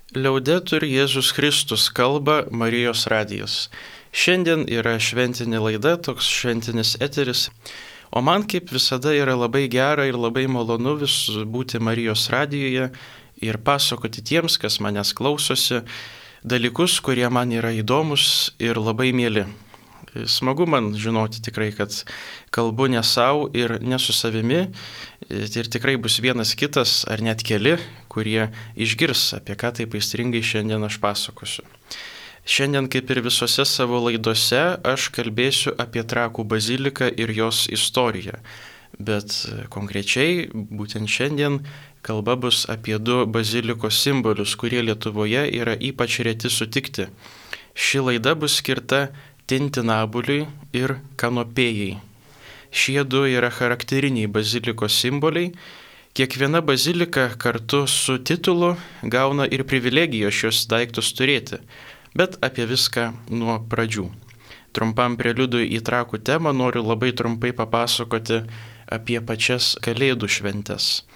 Liaudetur Jėzus Kristus kalba Marijos radijas. Šiandien yra šventinė laida, toks šventinis eteris, o man kaip visada yra labai gera ir labai malonu vis būti Marijos radijoje ir pasakoti tiems, kas manęs klausosi, dalykus, kurie man yra įdomus ir labai mieli. Smagu man žinoti tikrai, kad kalbu ne savo ir ne su savimi ir tikrai bus vienas kitas ar net keli, kurie išgirs, apie ką taip aistringai šiandien aš pasakosiu. Šiandien, kaip ir visose savo laidose, aš kalbėsiu apie Trakų baziliką ir jos istoriją. Bet konkrečiai, būtent šiandien kalba bus apie du bazilikos simbolius, kurie Lietuvoje yra ypač reti sutikti. Ši laida bus skirta Tintinabuliui ir Kanopėjai. Šie du yra charakteriniai bazilikos simboliai. Kiekviena bazilika kartu su titulu gauna ir privilegiją šios daiktus turėti, bet apie viską nuo pradžių. Trumpam preliudui į Trakų temą noriu labai trumpai papasakoti apie pačias Kalėdų šventes.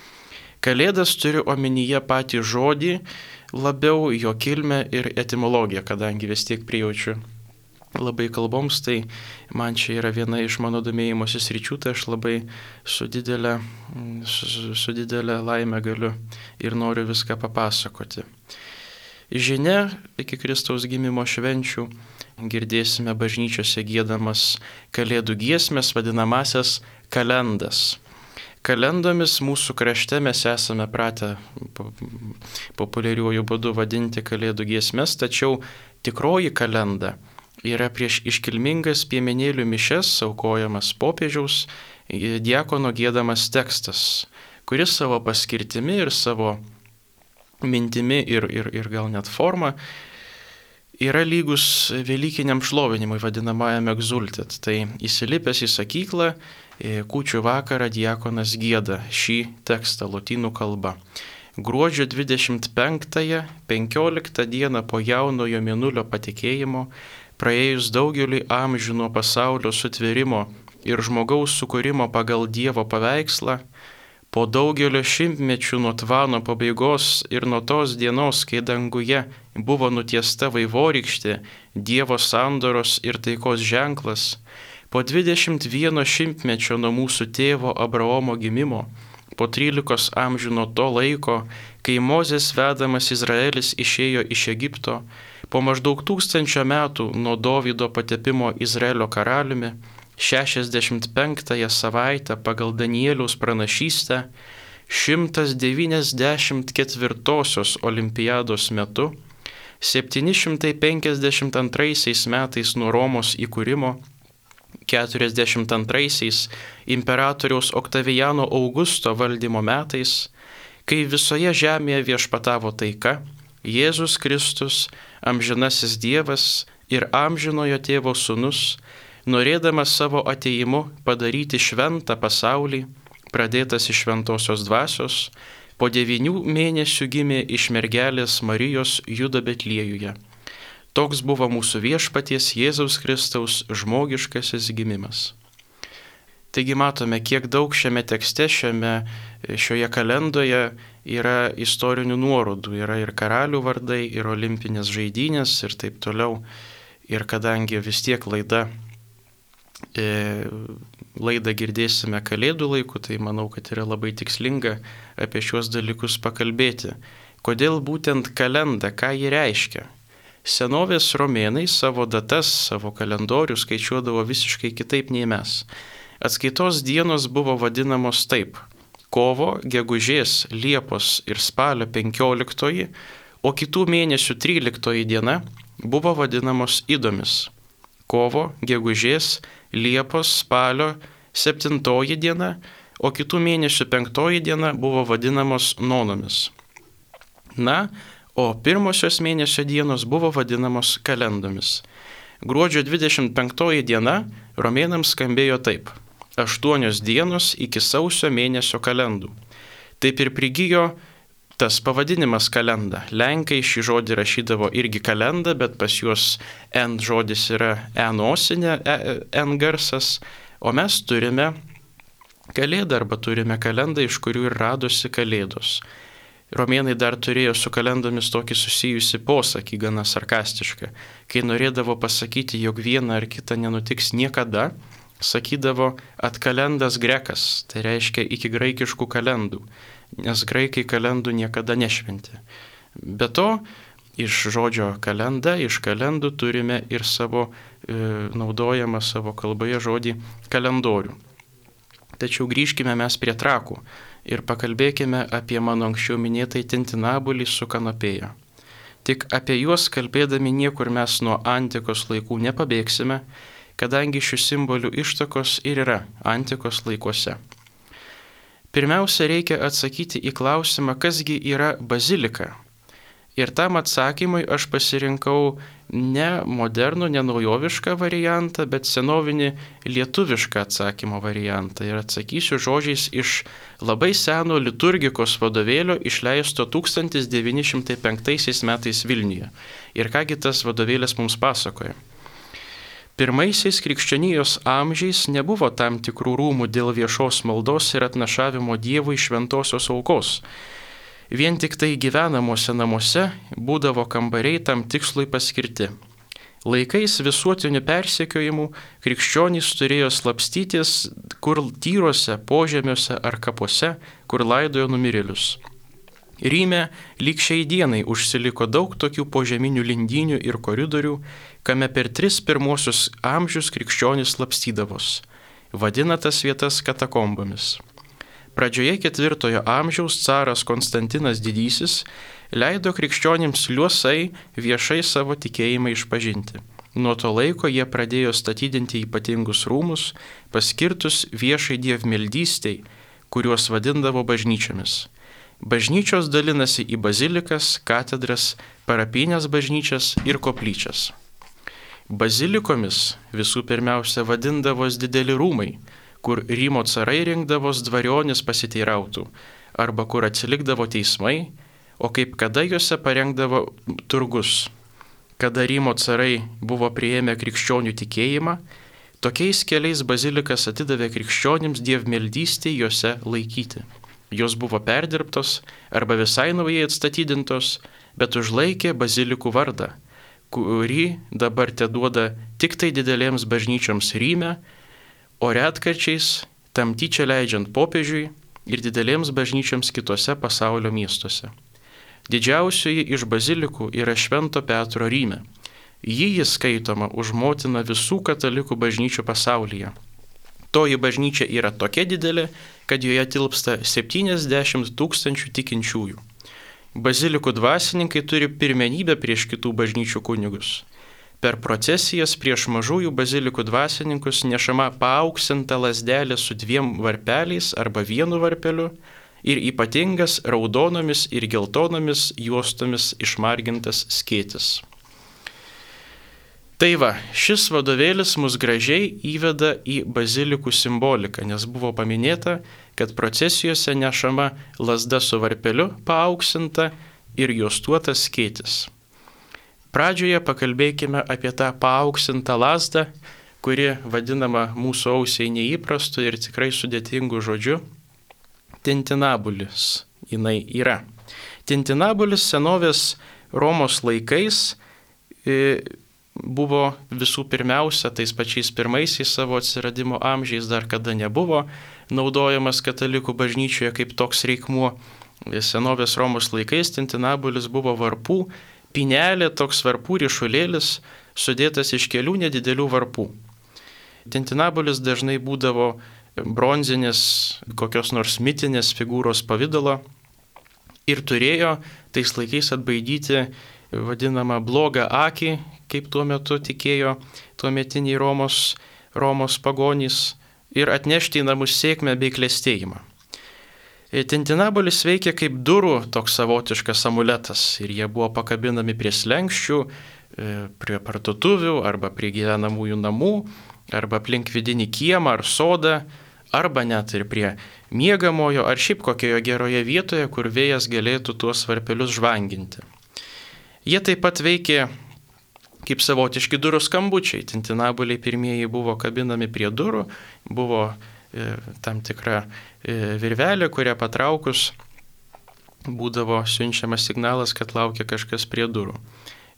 Kalėdas turiu omenyje patį žodį, labiau jo kilmę ir etimologiją, kadangi vis tiek prijaučiu labai kalboms, tai man čia yra viena iš mano domėjimosi sričių, tai aš labai su didelė laime galiu ir noriu viską papasakoti. Žinia, iki Kristaus gimimo švenčių girdėsime bažnyčiose giedamas Kalėdų giesmės, vadinamasias kalendas. Kalendomis mūsų krašte mes esame pratę populiariuoju būdu vadinti Kalėdų giesmės, tačiau tikroji kalenda yra prieš iškilmingas piemenėlių mišias aukojamas popiežiaus diakono giedamas tekstas, kuris savo paskirtimi ir savo mintimi ir gal net forma yra lygus velykiniam šlovinimui, vadinamajam egzultet. Tai įsilipęs į sakyklą, kūčių vakarą diakonas gieda šį tekstą lotynų kalba. Gruodžio 25-ąją, 15 dieną po jaunojo mėnulio patekėjimo, praėjus daugeliui amžių nuo pasaulio sutvėrimo ir žmogaus sukūrimo pagal Dievo paveikslą, po daugelio šimtmečių nuo tvano pabaigos ir nuo tos dienos, kai danguje buvo nutiesta vaivorykštė, Dievo sandoros ir taikos ženklas, po 21 šimtmečio nuo mūsų tėvo Abraomo gimimo, po 13 amžių nuo to laiko, kai Mozės vedamas Izraelis išėjo iš Egipto, po maždaug 1000 metų nuo Dovydo patepimo Izraelio karaliumi, 65 savaitę pagal Danieliaus pranašystę, 194 olimpiados metu, 752 metais nuo Romos įkūrimo, 42 imperatoriaus Oktavijano Augusto valdymo metais, kai visoje žemėje viešpatavo taika, Jėzus Kristus, amžinasis Dievas ir amžinojo tėvo sūnus, norėdamas savo atėjimu padaryti šventą pasaulį, pradėtas iš šventosios dvasios, po 9 mėnesių gimė iš mergelės Marijos Judo Betliejuje. Toks buvo mūsų viešpaties Jėzaus Kristaus žmogiškasis gimimas. Taigi matome, kiek daug šiame tekste, šioje kalendoje yra istorinių nuorodų, yra ir karalių vardai, ir olimpinės žaidynės ir taip toliau. Ir kadangi vis tiek laidą girdėsime Kalėdų laiku, tai manau, kad yra labai tikslinga apie šiuos dalykus pakalbėti. Kodėl būtent kalenda, ką ji reiškia? Senovės romėnai savo datas, savo kalendorių skaičiuodavo visiškai kitaip nei mes. Atskaitos dienos buvo vadinamos taip: kovo, gegužės, liepos ir spalio 15, o kitų mėnesių 13 diena buvo vadinamos idomis. Kovo, gegužės, liepos, spalio 7 diena, o kitų mėnesių 5 diena buvo vadinamos nonomis. Na, o pirmosios mėnesio dienos buvo vadinamos kalendomis. Gruodžio 25 diena romėnams skambėjo taip: 8 dienos iki sausio mėnesio kalendų. Taip ir prigijo tas pavadinimas kalenda. Lenkai šį žodį rašydavo irgi kalenda, bet pas juos N žodis yra nosinė, N garsas, o mes turime kalėdą arba turime kalendą, iš kurių ir radosi kalėdos. Romėnai dar turėjo su kalendomis tokį susijusi posakį, gana sarkastišką. Kai norėdavo pasakyti, jog viena ar kita nenutiks niekada, sakydavo atkalendas grekas, tai reiškia iki graikiškų kalendų, nes graikai kalendų niekada nešventė. Be to, iš žodžio kalenda, iš kalendų turime ir savo naudojamą savo kalboje žodį kalendorių. Tačiau grįžkime mes prie trakų ir pakalbėkime apie mano anksčiau minėtai tintinabulį su kanapėja. Tik apie juos kalbėdami niekur mes nuo antikos laikų nepabėgsime, kadangi šių simbolių ištakos ir yra antikos laikuose. Pirmiausia, reikia atsakyti į klausimą, kasgi yra bazilika. Ir tam atsakymui aš pasirinkau ne modernų, ne naujovišką variantą, bet senovinį lietuvišką atsakymo variantą. Ir atsakysiu žodžiais iš labai seno liturgikos vadovėlio išleisto 1905 metais Vilniuje. Ir kągi tas vadovėlis mums pasakoja. Pirmaisiais krikščionijos amžiais nebuvo tam tikrų rūmų dėl viešos maldos ir atnašavimo Dievui šventosios aukos. Vien tik tai gyvenamuose namuose būdavo kambariai tam tikslui paskirti. Laikais visuotinių persekiojimų krikščionys turėjo slapstytis kur tyruose, požemiuose ar kapuose, kur laidojo numirėlius. Ryme lyg šiai dienai užsiliko daug tokių požeminių lindynių ir koridorių, kame per 3 pirmuosius amžius krikščionys slapstydavos. Vadina tas vietas katakombomis. Pradžioje 4 amžiaus caras Konstantinas Didysis leido krikščionims liuosai viešai savo tikėjimą išpažinti. Nuo to laiko jie pradėjo statydinti ypatingus rūmus, paskirtus viešai dievmeldystei, kuriuos vadindavo bažnyčiomis. Bažnyčios dalinasi į bazilikas, katedras, parapinės bažnyčias ir koplyčias. Bazilikomis visų pirmiausia vadindavos dideli rūmai, kur Rymo carai rinkdavos dvarionis pasiteirautų, arba kur atsilikdavo teismai, o kaip kada juose parengdavo turgus. Kada Rymo carai buvo priėmę krikščionių tikėjimą, tokiais keliais bazilikas atidavė krikščionims dievmeldystei juose laikyti. Jos buvo perdirbtos arba visai naujai atstatydintos, bet užlaikė bazilikų vardą, kurį dabar teduoda tik tai didelėms bažnyčioms Ryme, o retkarčiais tam tyčia leidžiant popiežiui ir didelėms bažnyčioms kitose pasaulio miestuose. Didžiausioji iš bazilikų yra Švento Petro Ryme. Ji skaitoma už motiną visų katalikų bažnyčių pasaulyje. Toji bažnyčia yra tokia didelė, kad joje tilpsta 70 000 tikinčiųjų. Bazilikų dvasininkai turi pirmenybę prieš kitų bažnyčių kunigus. Per procesijas prieš mažųjų bazilikų dvasininkus nešama paauksinta lazdelė su 2 varpeliais arba 1 varpeliu ir ypatingas raudonomis ir geltonomis juostomis išmargintas skėtis. Tai va, šis vadovėlis mus gražiai įveda į bazilikų simboliką, nes buvo paminėta, kad procesijose nešama lazda su varpeliu paauksinta ir juostuotas skėtis. Pradžioje pakalbėkime apie tą paaukštintą lazdą, kuri vadinama mūsų ausiai neįprastu ir tikrai sudėtingu žodžiu tintinabulis. Jinai yra. Tintinabulis senovės Romos laikais buvo visų pirmiausia, tais pačiais pirmaisiais savo atsiradimo amžiais, dar kada nebuvo naudojamas katalikų bažnyčioje kaip toks reikmuo. Senovės Romos laikais tintinabulis buvo varpų pinelė, toks varpų ryšulėlis, sudėtas iš kelių nedidelių varpų. Tintinabulis dažnai būdavo bronzinės, kokios nors mitinės figūros pavidalo ir turėjo tais laikais atbaidyti vadinamą blogą akį, kaip tuo metu tikėjo tuometiniai Romos pagonys, ir atnešti į namus sėkmę bei klestėjimą. Tintinabulis veikia kaip durų toks savotiškas amuletas ir jie buvo pakabinami prie slenkščių, prie parduotuvių arba prie gyvenamųjų namų, arba aplink vidinį kiemą ar sodą, arba net ir prie miegamojo ar šiaip kokioje geroje vietoje, kur vėjas galėtų tuos varpelius žvanginti. Jie taip pat veikė kaip savotiški durų skambučiai. Tintinabuliai pirmieji buvo kabinami prie durų, buvo tam tikra virvelė, kurią patraukus būdavo siunčiamas signalas, kad laukia kažkas prie durų.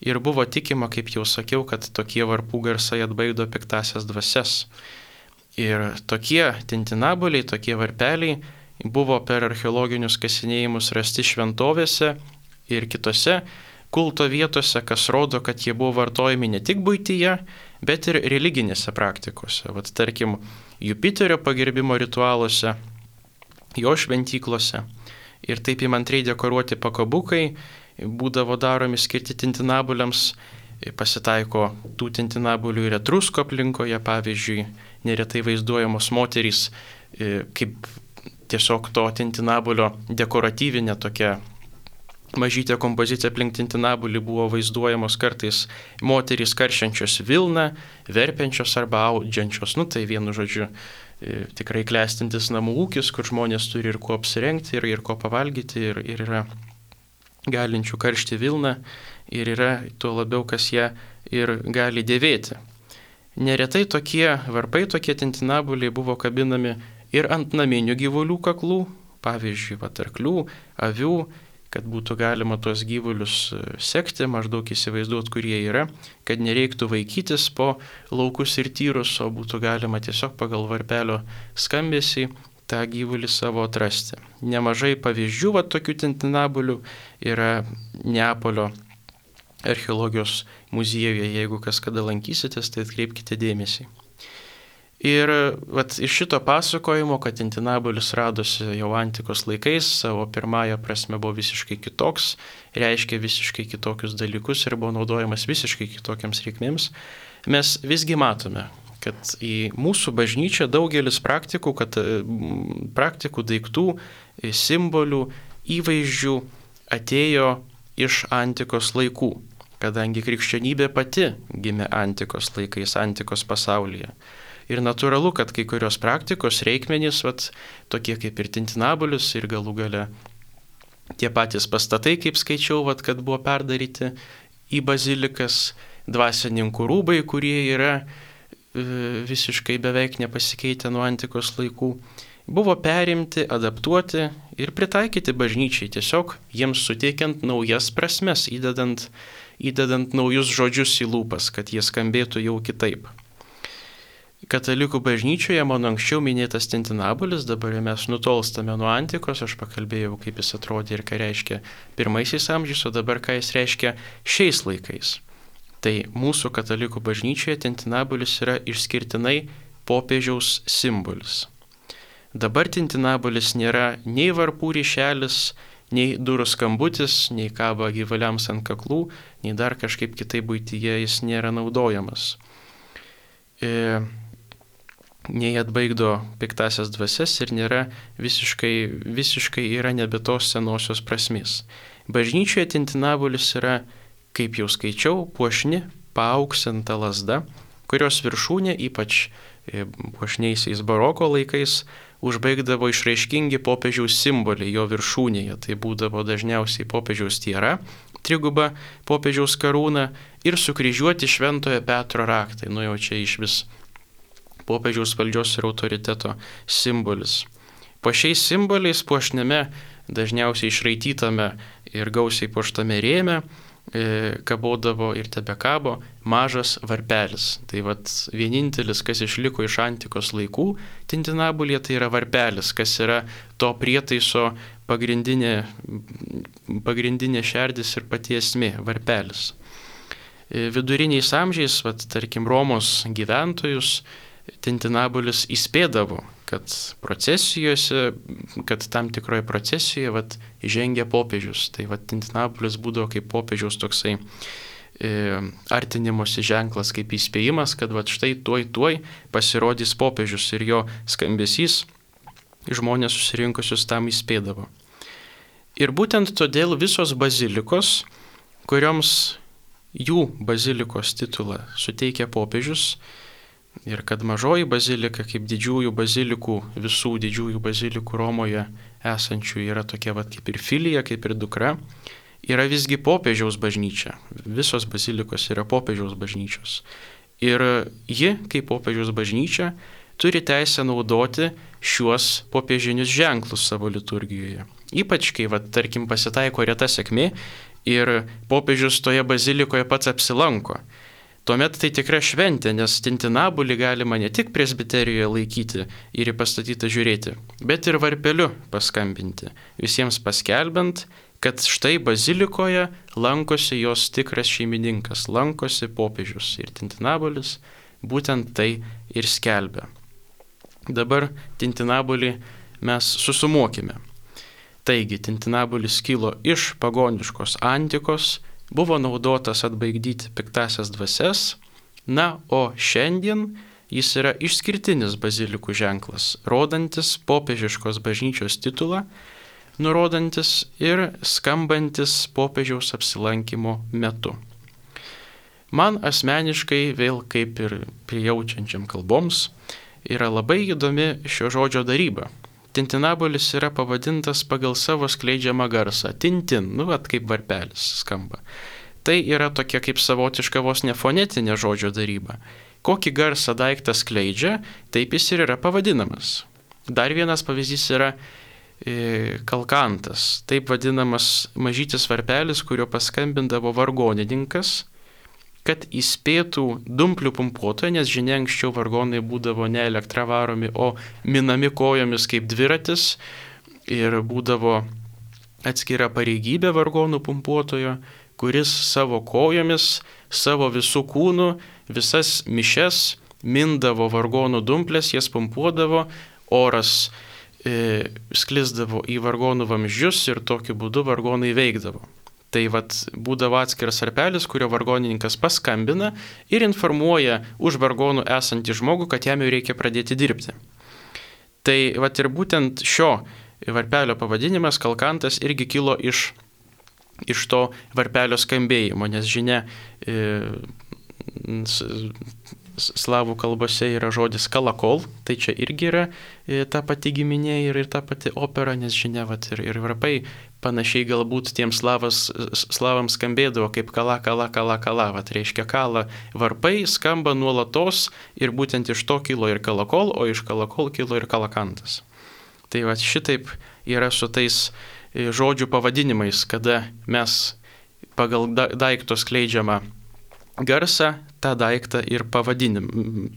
Ir buvo tikima, kaip jau sakiau, kad tokie varpų garsai atbaido piktasias dvasias. Ir tokie tintinaboliai, tokie varpeliai buvo per archeologinius kasinėjimus rasti šventovėse ir kitose kulto vietose, kas rodo, kad jie buvo vartojami ne tik buityje, bet ir religinėse praktikose. Vat tarkim, Jupiterio pagerbimo ritualuose, jo šventyklose. Ir taip įmantriai dekoruoti pakabukai būdavo daromi skirti tintinabuliams. Pasitaiko tų tintinabulių ir Etruskų aplinkoje, pavyzdžiui, neretai vaizduojamos moterys kaip tiesiog to tintinabulio dekoratyvinė tokia mažytė kompozicija aplink tintinabulį buvo vaizduojamos kartais moterys karšiančios vilną, verpiančios arba audžiančios. Tai vienu žodžiu tikrai klestintis namų ūkis, kur žmonės turi ir kuo apsirengti, ir ko pavalgyti, ir yra galinčių karšti vilną, ir yra tuo labiau, kas ją ir gali dėvėti. Neretai tokie varpai, tokie tintinabuliai buvo kabinami ir ant naminių gyvulių kaklų, pavyzdžiui, arklių, avių, kad būtų galima tuos gyvulius sekti, maždaug įsivaizduoti, kurie yra, kad nereiktų vaikytis po laukus ir tyrus, o būtų galima tiesiog pagal varpelio skambesį tą gyvulį savo atrasti. Nemažai pavyzdžių tokių tintinabulių yra Neapolio archeologijos muziejuje, jeigu kas kada lankysitės, tai atkreipkite dėmesį. Ir iš šito pasakojimo, kad tintinabulis radosi jau antikos laikais, savo pirmąją prasme buvo visiškai kitoks, reiškia visiškai kitokius dalykus ir buvo naudojamas visiškai kitokiams reikmėms, mes visgi matome, kad į mūsų bažnyčią daugelis praktikų, daiktų, simbolių, įvaizdžių atėjo iš antikos laikų, kadangi krikščionybė pati gimė antikos laikais, antikos pasaulyje. Ir natūralu, kad kai kurios praktikos, reikmenys, tokie kaip ir tintinabulis ir galų gale tie patys pastatai, kaip skaičiau, kad buvo perdaryti į bazilikas, dvasininkų rūbai, kurie yra visiškai beveik nepasikeitę nuo antikos laikų, buvo perimti, adaptuoti ir pritaikyti bažnyčiai, tiesiog jiems suteikiant naujas prasmes, įdedant naujus žodžius į lūpas, kad jie skambėtų jau kitaip. Katalikų bažnyčioje mano anksčiau minėtas tintinabulis, dabar mes nutolstame nuo antikos, aš pakalbėjau, kaip jis atrodė ir ką reiškia pirmaisiais amžiais, o dabar ką jis reiškia šiais laikais. Tai mūsų katalikų bažnyčioje tintinabulis yra išskirtinai popiežiaus simbolis. Dabar tintinabulis nėra nei varpų ryšelis, nei durų skambutis, nei kaba gyvuliams ant kaklų, nei dar kažkaip kitaip buityje jis nėra naudojamas. Nei atbaigdo piktasias dvasias ir nėra visiškai yra nebe tos senosios prasmės. Bažnyčioje tintinabulis yra, kaip jau skaičiau, puošni, paauksinta lazda, kurios viršūnė, ypač puošniaisiais baroko laikais, užbaigdavo išraiškingi popiežiaus simboliai jo viršūnėje. Tai būdavo dažniausiai popiežiaus tiara, triguba popiežiaus karūna ir sukryžiuoti Šventojo Petro raktai. Jau čia iš vis popiežiaus valdžios ir autoriteto simbolis. Po šiais simboliais puošnėme, dažniausiai išraitytame ir gausiai puoštame rėme, kabodavo ir tebekabo mažas varpelis. Tai vienintelis, kas išliko iš antikos laikų tintinabulyje, tai yra varpelis, kas yra to prietaiso pagrindinė šerdis ir pati esmė, varpelis. Viduriniais amžiais, tarkim, Romos gyventojus tintinabulis įspėdavo, kad tam tikroje procesijoje žengia popiežius. Tai tintinabulis būdavo kaip popiežiaus toksai artinimosi ženklas, kaip įspėjimas, kad štai tuoj pasirodys popiežius ir jo skambesys žmonės susirinkusius tam įspėdavo. Ir būtent todėl visos bazilikos, kurioms jų bazilikos titulą suteikia popiežius, ir kad mažoji bazilika, kaip didžiųjų bazilikų, visų didžiųjų bazilikų Romoje esančių yra tokia kaip ir filija, kaip ir dukra, yra visgi popiežiaus bažnyčia. Visos bazilikos yra popiežiaus bažnyčios. Ir ji, kaip popiežiaus bažnyčia, turi teisę naudoti šiuos popiežinius ženklus savo liturgijoje. Ypač, kai, tarkim, pasitaiko reta sėkmė ir popiežius toje bazilikoje pats apsilanko. Tuomet tai tikra šventė, nes tintinabulį galima ne tik presbiterijoje laikyti ir į pastatytą žiūrėti, bet ir varpeliu paskambinti, visiems paskelbiant, kad štai bazilikoje lankosi jos tikras šeimininkas, lankosi popiežius ir tintinabulis būtent tai ir skelbia. Dabar tintinabulį mes susumuokime. Taigi, tintinabulis kilo iš pagoniškos antikos, buvo naudotas atbaidyti piktasias dvasias, na, o šiandien jis yra išskirtinis bazilikų ženklas, rodantis popiežiškos bažnyčios titulą, nurodantis ir skambantis popiežiaus apsilankimo metu. Man asmeniškai, vėl kaip ir prijaučiančiam kalboms, yra labai įdomi šio žodžio daryba. Tintinabulis yra pavadintas pagal savo skleidžiamą garsą. Tintin, kaip varpelis skamba. Tai yra tokia kaip savotiška vos nefonetinė žodžio daryba. Kokį garsą daiktas skleidžia, taip jis ir yra pavadinamas. Dar vienas pavyzdys yra kalkantas, taip vadinamas mažytis varpelis, kurio paskambindavo vargonininkas, kad įspėtų dumplių pumpuotoją, nes žinia, anksčiau vargonai būdavo ne elektra varomi, o minami kojomis kaip dviratis ir būdavo atskira pareigybė vargonų pumpuotojo, kuris savo kojomis, savo visų kūnų, visas mišes mindavo vargonų dumplės, jas pumpuodavo, oras sklisdavo į vargonų vamzdžius ir tokiu būdu vargonai veikdavo. Tai būdavo atskiras varpelis, kurio vargonininkas paskambina ir informuoja už vargonų esantį žmogų, kad jam jau reikia pradėti dirbti. Tai ir būtent šio varpelio pavadinimas kalkantas irgi kilo iš to varpelio skambėjimo, nes žinia, slavų kalbose yra žodis kalakol, tai čia irgi yra ta pati giminė ir ta pati opera, nes žinia, ir varpai panašiai galbūt tiems slavams skambėdavo kaip kala, kala, kala, kala, reiškia kala varpai skamba nuolatos ir būtent iš to kilo ir kalakol, o iš kalakol kilo ir kalakantas. Tai šitaip yra su tais žodžių pavadinimais, kada mes pagal daikto skleidžiamą garsą tą daiktą ir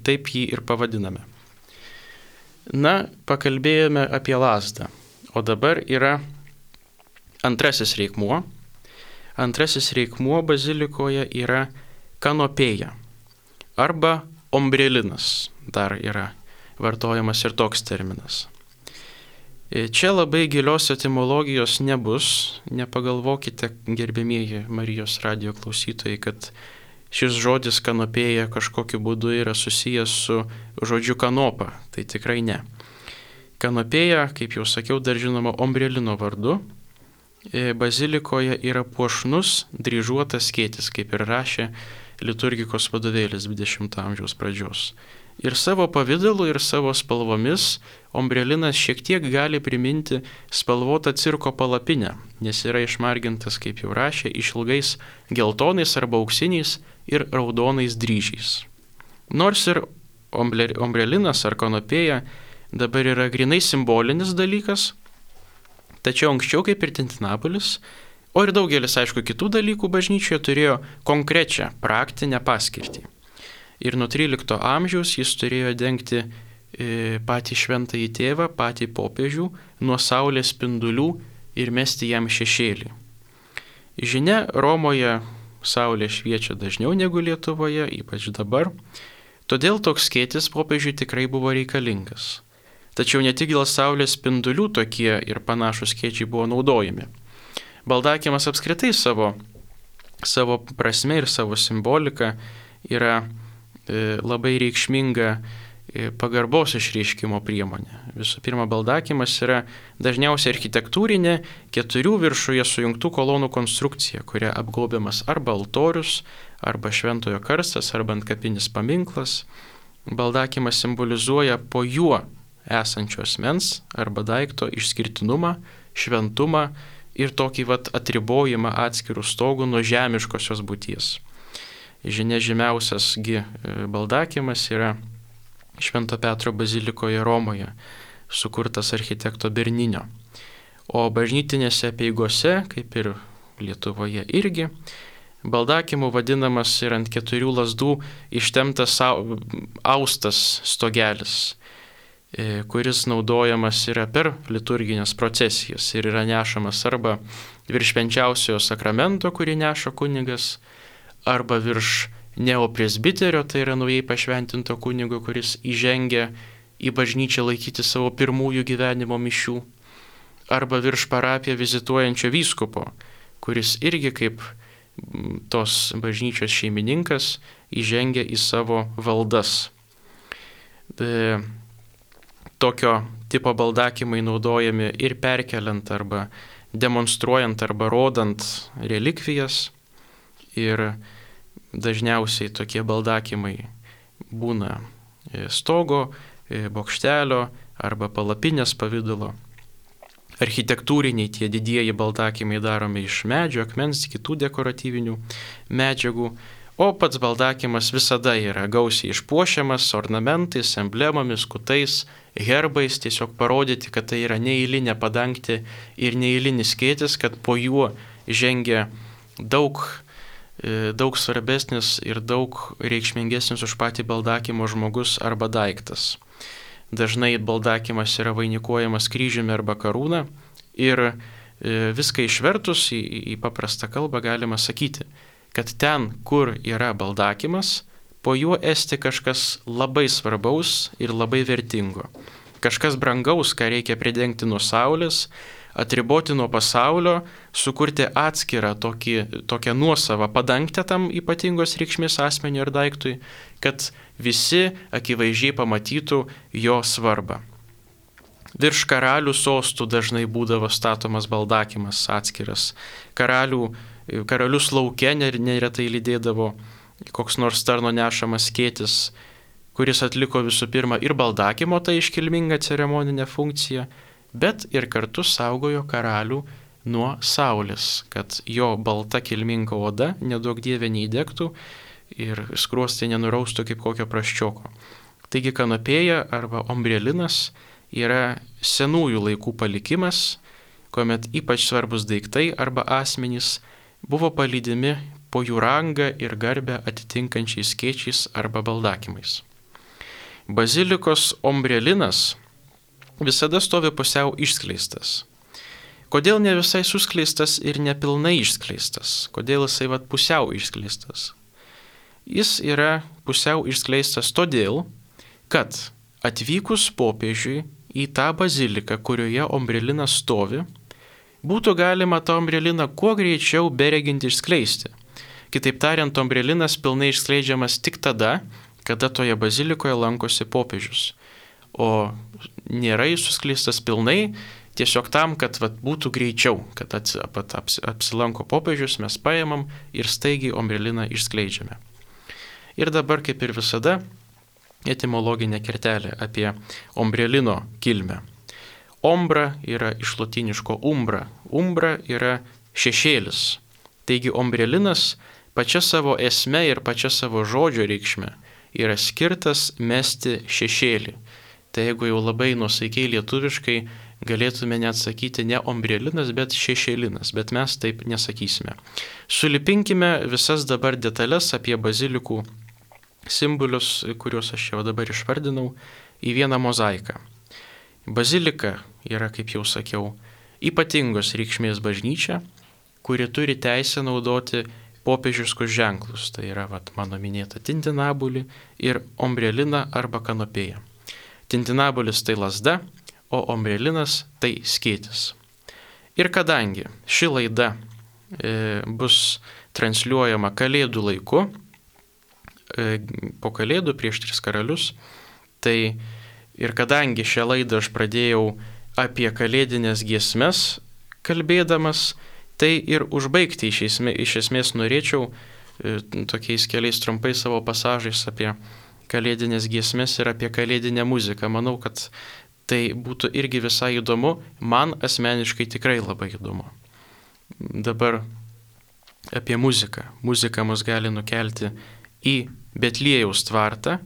taip jį ir pavadiname. Na, pakalbėjome apie lazdą, o dabar yra antrasis reikmuo. Antrasis reikmuo bazilikoje yra kanopėja arba ombrelinas, dar yra vartojamas ir toks terminas. Čia labai gilios etimologijos nebus, nepagalvokite, gerbėmieji Marijos radijo klausytojai, kad šis žodis kanopėja kažkokiu būdu yra susijęs su žodžiu kanopa, tai tikrai ne. Kanopėja, kaip jau sakiau, dar žinoma ombrelino vardu, bazilikoje yra puošnus dryžuotas skėtis, kaip ir rašė liturgikos vadovėlis 20 amžiaus pradžios. Ir savo pavidalu, ir savo spalvomis ombrelinas šiek tiek gali priminti spalvotą cirko palapinę, nes yra išmargintas, kaip jau rašė, išilgais geltonais arba auksiniais ir raudonais dryžiais. Nors ir ombrelinas ar kanopėja dabar yra grinai simbolinis dalykas, tačiau anksčiau kaip ir tintinabulis, o ir daugelis, aišku, kitų dalykų bažnyčioje turėjo konkrečią praktinę paskirtį. Ir nuo 13 amžiaus jis turėjo dengti patį šventąjį tėvą, patį popiežių nuo saulės spindulių ir mesti jam šešėlį. Žinia, Romoje saulė šviečia dažniau negu Lietuvoje, ypač dabar, todėl toks skėtis popiežiui tikrai buvo reikalingas. Tačiau ne tik dėl saulės spindulių tokie ir panašus skėčiai buvo naudojami. Baldakimas apskritai savo prasme ir savo simbolika yra labai reikšminga pagarbos išreiškimo priemonė. Visų pirma, baldakimas yra dažniausiai architektūrinė 4 viršuje sujungtų kolonų konstrukcija, kuria apgaubiamas arba altorius, arba šventojo karstas, arba antkapinis paminklas. Baldakimas simbolizuoja po juo esančio asmens arba daikto išskirtinumą, šventumą ir tokį atribojimą atskirų stogų nuo žemiškosios būties. Žinia, žymiausiasgi baldakimas yra Švento Petro bazilikoje Romoje, sukurtas architekto Berninio. O bažnytinėse apeigose, kaip ir Lietuvoje irgi, baldakimu vadinamas ir ant 4 lazdų ištemptas austas stogelis, kuris naudojamas yra per liturginės procesijas ir yra nešamas arba virš švenčiausiojo sakramento, kurį neša kunigas, arba virš neopresbiterio, tai yra naujai pašventinto kunigo, kuris įžengia į bažnyčią laikyti savo pirmųjų gyvenimo mišių, arba virš parapiją vizituojančio vyskupo, kuris irgi kaip tos bažnyčios šeimininkas įžengia į savo valdas. Tokio tipo baldakimai naudojami ir perkeliant arba demonstruojant arba rodant relikvijas, ir dažniausiai tokie baldakimai būna stogo, bokštelio arba palapinės pavidalo. Architektūriniai tie didieji baldakimai daromi iš medžio, akmens, kitų dekoratyvinių medžiagų, o pats baldakimas visada yra gausiai išpuošiamas ornamentais, emblemomis, kutais, herbais, tiesiog parodyti, kad tai yra neeilinė padangtė ir neeilinis skėtis, kad po juo žengia daug svarbesnis ir daug reikšmingesnis už patį baldakimo žmogus arba daiktas. Dažnai baldakimas yra vainikuojamas kryžiumi arba karūna ir viską išvertus į paprastą kalbą galima sakyti, kad ten, kur yra baldakimas, po juo esti kažkas labai svarbaus ir labai vertingo. Kažkas brangaus, ką reikia pridengti nuo saulės, atriboti nuo pasaulio, sukurti atskirą tokią nuosavą padangtę tam ypatingos reikšmės asmeniui ar daiktui, kad visi akivaizdžiai pamatytų jo svarbą. Virš karalių sostų dažnai būdavo statomas baldakimas atskiras. Karalius lauke neretai lydėdavo koks nors tarno nešamas skėtis, kuris atliko visų pirma ir baldakimo tą iškilmingą ceremoninę funkciją, bet ir kartu saugojo karalių nuo saulės, kad jo balta kilminga oda neduok dieve neįdegtų ir skruostai nenuraustų kaip kokio prasčioko. Taigi kanopėja arba ombrelinas yra senųjų laikų palikimas, kuomet ypač svarbus daiktai arba asmenys buvo palydimi po jų rangą ir garbę atitinkančiais skėčiais arba baldakimais. Bazilikos ombrelinas visada stovi pusiau išskleistas. Kodėl ne visai suskleistas ir nepilnai išskleistas? Kodėl jisai pusiau išskleistas? Jis yra pusiau išskleistas todėl, kad atvykus popiežiui į tą baziliką, kurioje ombrelinas stovi, būtų galima tą ombreliną kuo greičiau bereginti išskleisti. Kitaip tariant, ombrelinas pilnai išskleidžiamas tik tada, kada toje bazilikoje lankosi popiežius. O nėra jis suskleistas pilnai, tiesiog tam, kad būtų greičiau, kad apsilanko popiežius, mes paimam ir staigiai ombreliną išskleidžiame. Ir dabar, kaip ir visada, etimologinė kertelė apie ombrelino kilmę. Ombra yra iš lotyniško umbra. Umbra yra šešėlis. Taigi ombrelinas pačia savo esme ir pačia savo žodžio reikšme yra skirtas mesti šešėlį. Tai jeigu jau labai nuosaikiai lietuviškai galėtume net sakyti ne ombrelinas, bet šešėlinas, bet mes taip nesakysime. Sulipinkime visas dabar detalės apie bazilikų simbolius, kuriuos aš jau dabar išvardinau, į vieną mozaiką. Bazilika yra, kaip jau sakiau, ypatingos reikšmės bažnyčia, kuri turi teisę naudoti popiežiškus ženklus. Tai yra mano minėta tintinabulį ir ombreliną arba kanopėją. Tintinabulis tai lazda, o ombrelinas tai skėtis. Ir kadangi ši laida bus transliuojama Kalėdų laiku, po Kalėdų prieš 3 karalius, tai ir kadangi šią laidą aš pradėjau apie kalėdinės giesmes kalbėdamas, tai ir užbaigti iš esmės norėčiau tokiais keliais trumpai savo pasažais apie kalėdinės giesmes ir apie kalėdinę muziką. Manau, kad tai būtų irgi visai įdomu, man asmeniškai tikrai labai įdomu. Dabar apie muziką. Muzika mus gali nukelti į Betliejaus tvartą,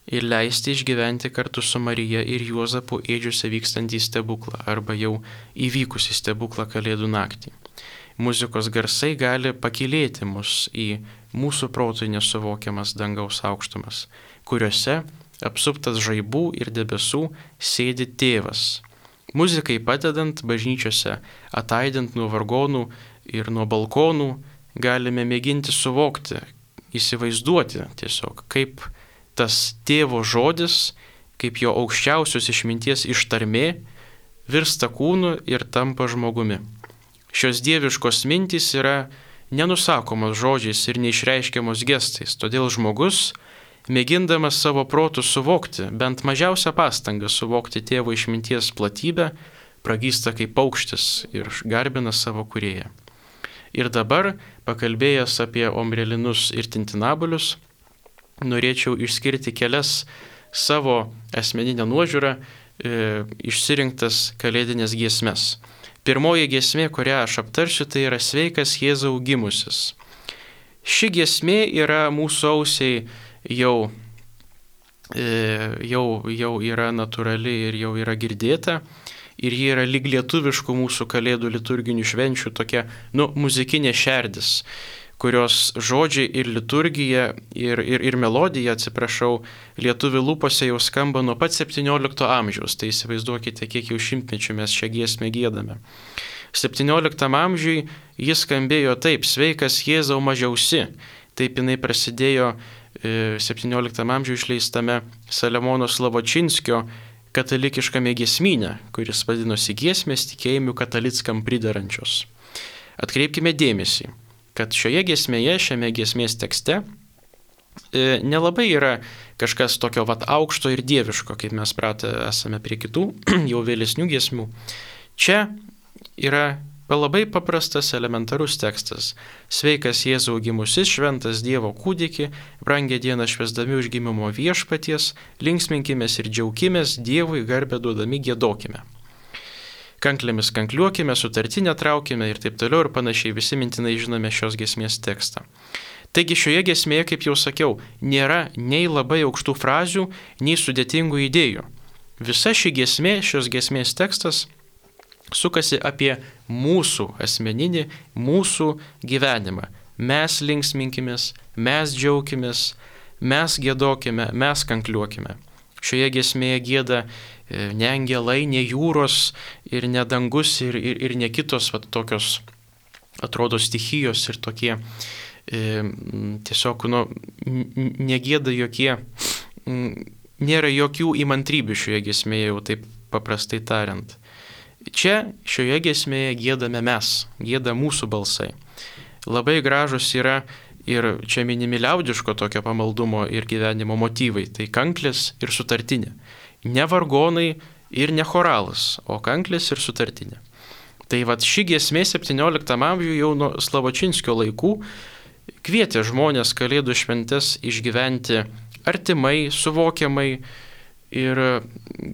ir leisti išgyventi kartu su Marija ir Juozapu ėdžiuose vykstantį stebuklą arba jau įvykusį stebuklą Kalėdų naktį. Muzikos garsai gali pakylėti mus į mūsų protui nesuvokiamas dangaus aukštumas, kuriuose, apsuptas žaibų ir debesų, sėdi tėvas. Muzikai padedant bažnyčiose, ataidint nuo vargonų ir nuo balkonų, galime mėginti suvokti, įsivaizduoti tiesiog, kaip tas tėvo žodis, kaip jo aukščiausios išminties ištarmė, virsta kūnu ir tampa žmogumi. Šios dieviškos mintys yra nenusakomos žodžiais ir neišreiškiamos gestais, todėl žmogus, mėgindamas savo protų suvokti, bent mažiausią pastangą suvokti tėvo išminties platybę, pragysta kaip paukštis ir garbina savo kūrėją. Ir dabar, pakalbėjęs apie omrelinus ir tintinabolius, norėčiau išskirti kelias savo asmeninę nuožiūrą išsirinktas kalėdinės giesmes. Pirmoji giesmė, kurią aš aptarsiu, tai yra Sveikas Jėzau gimusis. Ši giesmė yra mūsų ausiai jau yra natūrali ir jau yra girdėta. Ir ji yra lyg lietuviškų mūsų kalėdų liturginių švenčių tokia, muzikinė šerdis, kurios žodžiai ir liturgija ir melodija, lietuvių lūpose jau skamba nuo pat 17 amžiaus. Tai įsivaizduokite, kiek jau šimtmečių mes šią giesmę giedame. 17 amžiui jis skambėjo taip: Sveikas Jėzau mažiausi. Taip jinai prasidėjo 17 amžiuje išleistame Saliamono Slavočinskio katalikiškame giesmyne, kuris vadinosi Giesmės tikėjimui katalickam pridarančios. Atkreipkime dėmesį, kad šioje giesmėje, šiame giesmės tekste nelabai yra kažkas tokio aukšto ir dieviško, kaip mes pratę esame prie kitų jau vėlesnių giesmių. Čia yra labai paprastas, elementarus tekstas. Sveikas Jėzau gimusis, šventas Dievo kūdiki, brangią dieną švęsdami užgimimo viešpaties, linksminkimės ir džiaukimės, Dievui garbę duodami giedokime. Kanklėmis kankliuokime, sutartinę traukime ir taip toliau ir panašiai, visi mintinai žinome šios giesmės tekstą. Taigi šioje giesmėje, kaip jau sakiau, nėra nei labai aukštų frazių, nei sudėtingų idėjų. Visa ši giesmė, šios giesmės tekstas sukasi apie mūsų asmeninį, mūsų gyvenimą. Mes linksminkimės, mes džiaukimės, mes giedokime, mes kankliuokime. Šioje giesmėje gieda ne angelai, ne jūros ir ne dangus ir ne kitos tokios, atrodo, stichijos ir tokie tiesiog, negieda jokie, nėra jokių įmantrybių šioje giesmėje, jau taip paprastai tariant. Čia šioje giesmėje giedame mes, gieda mūsų balsai. Labai gražus yra ir čia minimi liaudiško tokio pamaldumo ir gyvenimo motyvai, tai kanklės ir sutartinė. Ne vargonai ir ne choralas, o kanklės ir sutartinė. Tai ši giesmė 17 amžiuje jau nuo Slavočinskio laikų kvietė žmonės Kalėdų šventes išgyventi artimai, suvokiamai, ir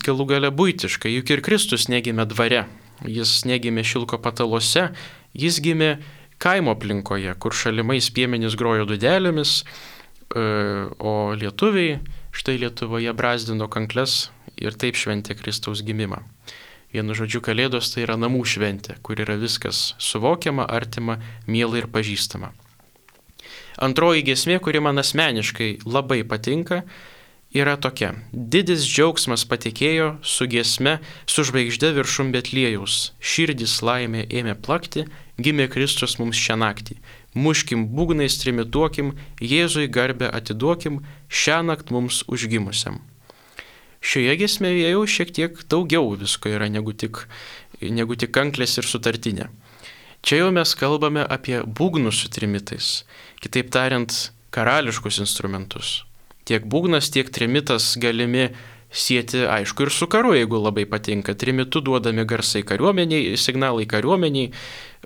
galų gale buitiškai, juk ir Kristus negimė dvare, jis negimė šilko patalose, jis gimė kaimo aplinkoje, kur šalimais piemenys grojo dūdelėmis, o lietuviai štai Lietuvoje brazdino kankles ir taip šventė Kristaus gimimą. Vienu žodžiu, Kalėdos tai yra namų šventė, kur yra viskas suvokiama, artima, miela ir pažįstama. Antroji giesmė, kuri man asmeniškai labai patinka, yra tokia: didis džiaugsmas patikėjo su giesme, su žvaigžde viršum Betliejaus, širdis laimė ėmė plakti, gimė Kristus mums šią naktį. Muškim būgnais, trimituokim, Jėzui garbę atiduokim, šiąnakt mums užgimusiam. Šioje giesmėje jau šiek tiek daugiau visko yra negu tik kanklės ir sutartinė. Čia jau mes kalbame apie būgnus su trimitais, kitaip tariant, karališkus instrumentus. Tiek būgnas, tiek trimitas galimi sieti, aišku, ir su karu, jeigu labai patinka. Trimitu duodami garsai kariuomeniai, signalai kariuomeniai,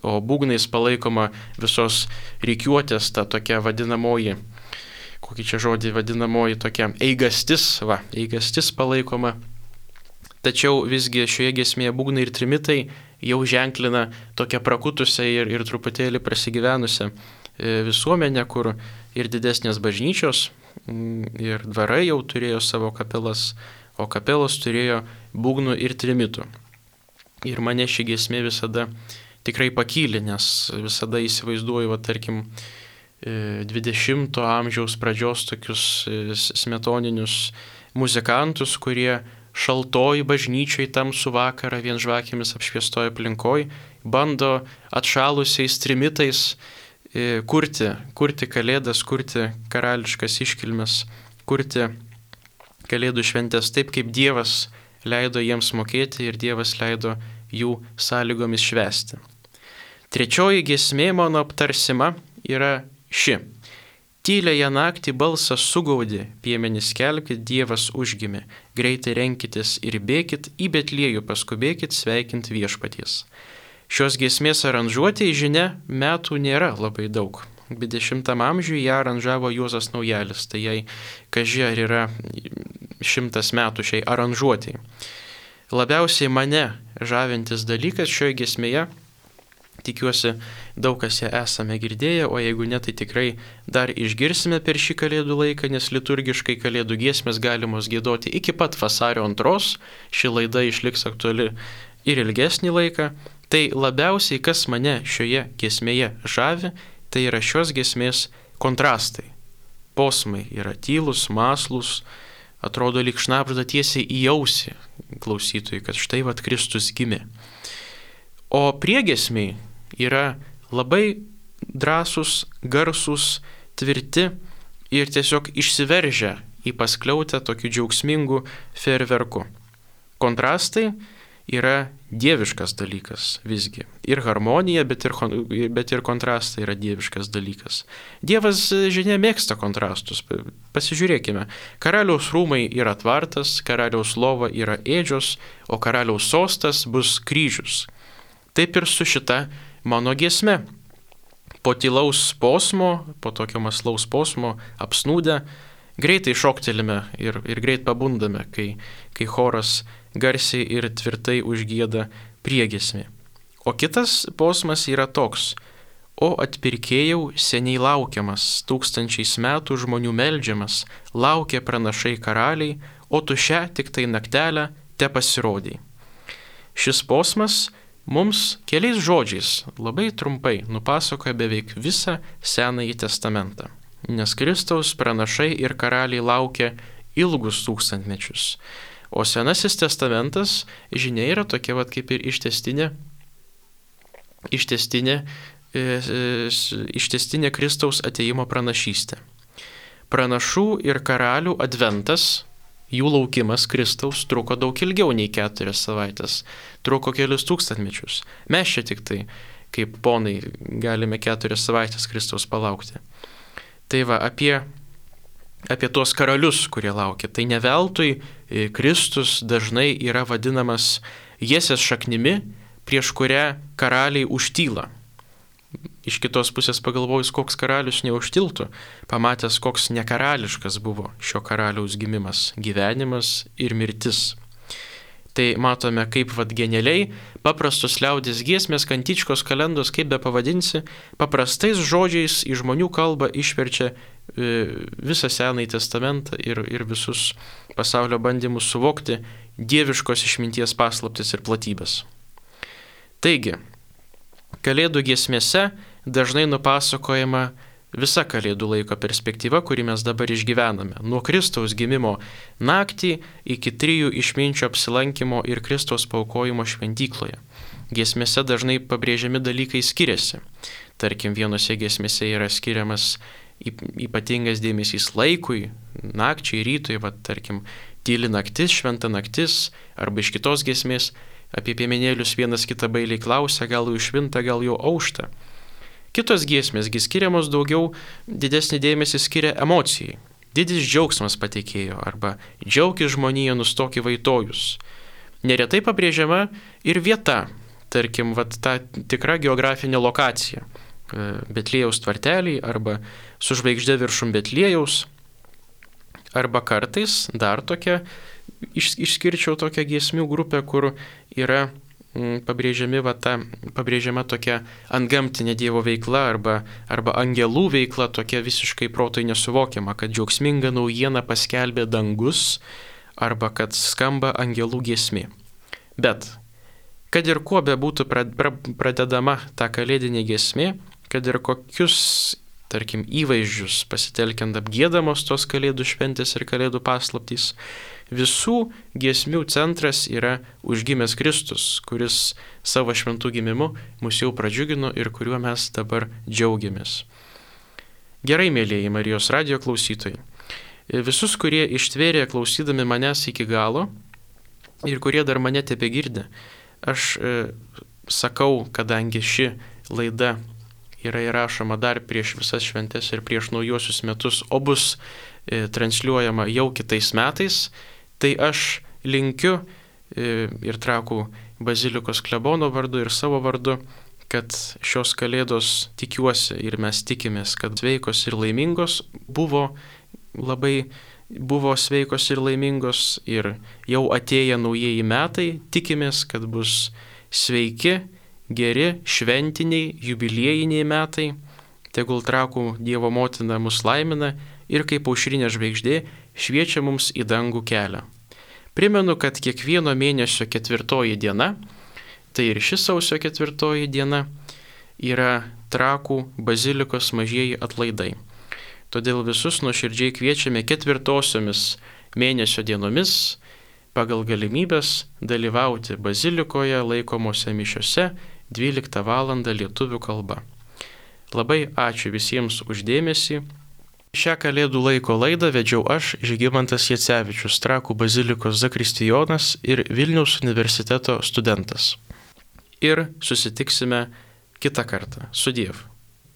o būgnais palaikoma visos rikiuotės, ta tokia vadinamoji, kokį čia žodį vadinamoji tokia eigastis palaikoma. Tačiau visgi šioje giesmėje būgnai ir trimitai jau ženklina tokią prakutusią ir truputėlį prasigyvenusią visuomenę, kur ir didesnės bažnyčios, ir dvarai jau turėjo savo kapelas, o kapelos turėjo būgnų ir trimitų. Ir mane ši giesmė visada tikrai pakylė, nes visada įsivaizduoju, tarkim, 20 amžiaus pradžios tokius smetoninius muzikantus, kurie šaltoj bažnyčioj tamsų vakarą vien žvakėmis apšviestoj aplinkoj bando atšalusiais trimitais kurti kalėdas, kurti karališkas iškilmes, kurti kalėdų šventės taip, kaip Dievas leido jiems mokėti ir Dievas leido jų sąlygomis švęsti. Trečioji giesmė mano aptarsima yra ši. Tyliąją naktį balsas sugaudė, piemenys skelbkit, Dievas užgimė, greitai renkitės ir bėkit, į Betliejų paskubėkit sveikinti viešpaties. Šios giesmės aranžuotėje, žinia, metų nėra labai daug. 20 amžiuje ją aranžavo Juozas Naujalis, tai jai kaži ar yra 100 metų šiai aranžuotėjai. Labiausiai mane žavintis dalykas šioje giesmėje, tikiuosi daug kas ją esame girdėję, o jeigu ne, tai tikrai dar išgirsime per šį kalėdų laiką, nes liturgiškai kalėdų giesmės galimos giedoti iki pat vasario 2, ši laida išliks aktuali ir ilgesnį laiką. Tai labiausiai, kas mane šioje giesmėje žavi, tai yra šios giesmės kontrastai. Posmai yra tylus, mąslus, atrodo lyg šnabžda tiesiai į ausį klausytojui, kad štai vat Kristus gimė. O priegiesmiai yra labai drąsūs, garsūs, tvirti ir tiesiog išsiveržia į paskliautę tokiu džiaugsmingu fejerverku. Kontrastai yra dieviškas dalykas visgi. Ir harmonija, bet ir kontrastai yra dieviškas dalykas. Dievas, žinia, mėgsta kontrastus. Pasižiūrėkime. Karaliaus rūmai yra tvartas, karaliaus lova yra ėdžios, o karaliaus sostas bus kryžius. Taip ir su šita mano giesme. Po tylaus posmo, po tokio mąslaus posmo apsnūdę, greitai šoktelime ir greit pabundame, kai choras garsiai ir tvirtai užgieda priegiesmį. O kitas posmas yra toks: o atpirkėjau seniai laukiamas, 1000 metų žmonių meldžiamas, laukia pranašai karaliai, o tu šią tik tai naktelę te pasirodei. Šis posmas mums keliais žodžiais labai trumpai nupasakoja beveik visą Senąjį testamentą, nes Kristaus pranašai ir karaliai laukia ilgus 1000 mečius. O Senasis testamentas, žinia, yra tokia kaip ir ištęstinė Kristaus atėjimo pranašystė. Pranašų ir karalių adventas, jų laukimas Kristaus truko daug ilgiau nei 4 savaitės, truko kelius 1000 mečius. Mes čia tik tai, kaip ponai, galime 4 savaitės Kristaus palaukti. Tai va, apie tuos karalius, kurie laukia. Tai ne veltui Kristus dažnai yra vadinamas Jesės šaknimi, prieš kurią karaliai užtyla. Iš kitos pusės pagalvojus, koks karalius neužtiltų, pamatęs, koks nekarališkas buvo šio karaliaus gimimas, gyvenimas ir mirtis. Tai matome, kaip genialiai paprastos liaudės giesmės, kantičkos, kalendos, kaip be pavadinsi, paprastais žodžiais į žmonių kalbą išverčia visą Senąjį testamentą ir visus pasaulio bandymus suvokti dieviškos išminties paslaptis ir platybės. Taigi, kalėdų giesmėse dažnai nupasakojama visa kalėdų laiko perspektyva, kurį mes dabar išgyvename. Nuo Kristaus gimimo naktį iki 3 išminčių apsilankimo ir Kristaus paaukojimo šventykloje. Giesmėse dažnai pabrėžiami dalykai skiriasi. Tarkim, vienose giesmėse yra skiriamas ypatingas dėmesys laikui, nakčiai, rytui, tarkim, tyli naktis, šventa naktis, arba iš kitos giesmės apie piemenėlius vienas kitą bailiai klausia, gal jau švinta, gal jau aušta. Kitos giesmėsgi skiriamos daugiau, didesnį dėmesį skiria emocijai. Didis džiaugsmas patekėjo, arba džiaukis žmonija, nustoki vaitojus. Neretai pabrėžiama ir vieta, tarkim, ta tikra geografinė lokacija. Betliejaus tvarteliai, arba su žvaigžde viršum Betliejaus, arba kartais dar tokia, išskirčiau tokią giesmių grupę, kur yra pabrėžiama tokia antgamtinė Dievo veikla arba angelų veikla, tokia visiškai protui nesuvokiama, kad džiaugsminga naujiena paskelbė dangus arba kad skamba angelų giesmė. Bet, kad ir kuo bebūtų pradedama ta kalėdinė giesmė, kad ir kokius, tarkim, įvaizdžius pasitelkiant apgiedamos tos kalėdų šventės ir kalėdų paslaptys, visų giesmių centras yra užgimęs Kristus, kuris savo šventų gimimu mus jau pradžiugino ir kuriuo mes dabar džiaugiamės. Gerai, mėlyjeji Marijos radijo klausytojai, visus, kurie ištvėrė klausydami manęs iki galo ir kurie dar mane tebegirdi, aš sakau, kadangi ši laida yra įrašoma dar prieš visas šventes ir prieš naujuosius metus, o bus transliuojama jau kitais metais, tai aš linkiu ir Trakų bazilikos klebono vardu ir savo vardu, kad šios kalėdos, tikiuosi ir mes tikimės, kad sveikos ir laimingos buvo sveikos ir laimingos ir jau atėję naujieji metai, tikimės, kad bus sveiki, geri, šventiniai, jubiliejiniai metai, tegul Trakų Dievo motina mus laimina ir kaip aušrinė žvaigždė šviečia mums į dangų kelią. Primenu, kad kiekvieno mėnesio 4 diena, tai ir ši sausio 4 diena, yra Trakų bazilikos mažieji atlaidai. Todėl visus nuoširdžiai kviečiame 4 mėnesio dienomis pagal galimybės dalyvauti bazilikoje laikomose mišiose 12 val. Lietuvių kalba. Labai ačiū visiems už dėmesį. Šią kalėdų laiko laidą vedžiau aš, Žygimantas Jacevičius, Trakų bazilikos zakristijonas ir Vilniaus universiteto studentas. Ir susitiksime kitą kartą. Sudiev.